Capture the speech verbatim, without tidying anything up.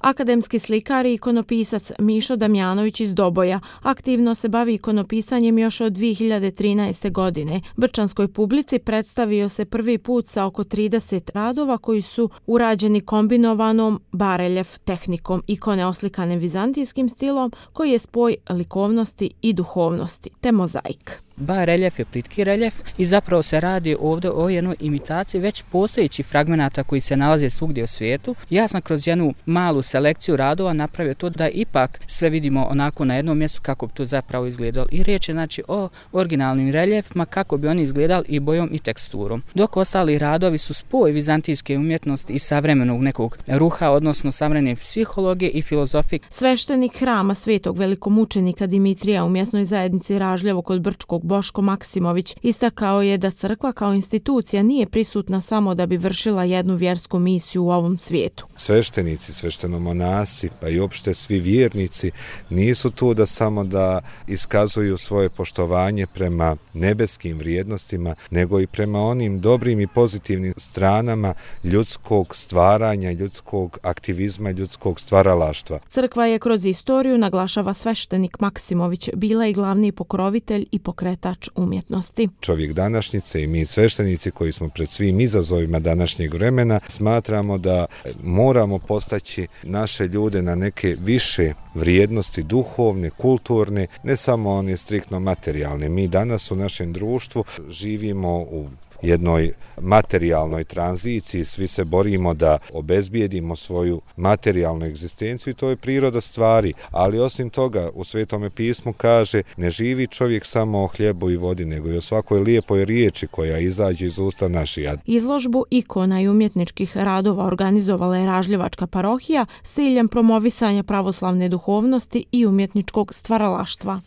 Akademski slikar i ikonopisac Mišo Damjanović iz Doboja aktivno se bavi ikonopisanjem još od dvije hiljade trinaeste. godine. Brčanskoj publici predstavio se prvi put sa oko trideset radova koji su urađeni kombinovanom bareljef tehnikom, ikone oslikane vizantijskim stilom koji je spoj likovnosti i duhovnosti, te mozaik. Bar reljef je plitki reljef i zapravo se radi ovdje o jednoj imitaciji već postojećih fragmenata koji se nalaze svugdje u svijetu. Ja sam kroz jednu malu selekciju radova napravio to da ipak sve vidimo onako na jednom mjestu kako bi to zapravo izgledalo. I riječ je znači o originalnim reljefima kako bi oni izgledali i bojom i teksturom. Dok ostali radovi su spoj vizantijske umjetnosti i savremenog nekog ruha, odnosno savremene psihologije i filozofije. Sveštenik hrama svetog velikomučenika Dimitrija u mjesnoj zajednici Ražljevo kod Brčkog Boško Maksimović istakao je da crkva kao institucija nije prisutna samo da bi vršila jednu vjersku misiju u ovom svijetu. Sveštenici, sveštenomonasi, pa i opšte svi vjernici nisu tu da samo da iskazuju svoje poštovanje prema nebeskim vrijednostima, nego i prema onim dobrim i pozitivnim stranama ljudskog stvaranja, ljudskog aktivizma, ljudskog stvaralaštva. Crkva je kroz istoriju, naglašava sveštenik Maksimović, bila i glavni pokrovitelj i pokretač umjetnosti. Čovjek današnjice i mi sveštenici koji smo pred svim izazovima današnjeg vremena smatramo da moramo postaći naše ljude na neke više vrijednosti duhovne, kulturne, ne samo one striktno materijalne. Mi danas u našem društvu živimo u jednoj materijalnoj tranziciji, svi se borimo da obezbijedimo svoju materijalnu egzistenciju i to je priroda stvari, ali osim toga u Svetome pismu kaže ne živi čovjek samo o hlijebu i vodi, nego i o svakoj lijepoj riječi koja izađe iz usta naših. Izložbu ikona i umjetničkih radova organizovala je Ražljevačka parohija s ciljem promovisanja pravoslavne duhovnosti i umjetničkog stvaralaštva.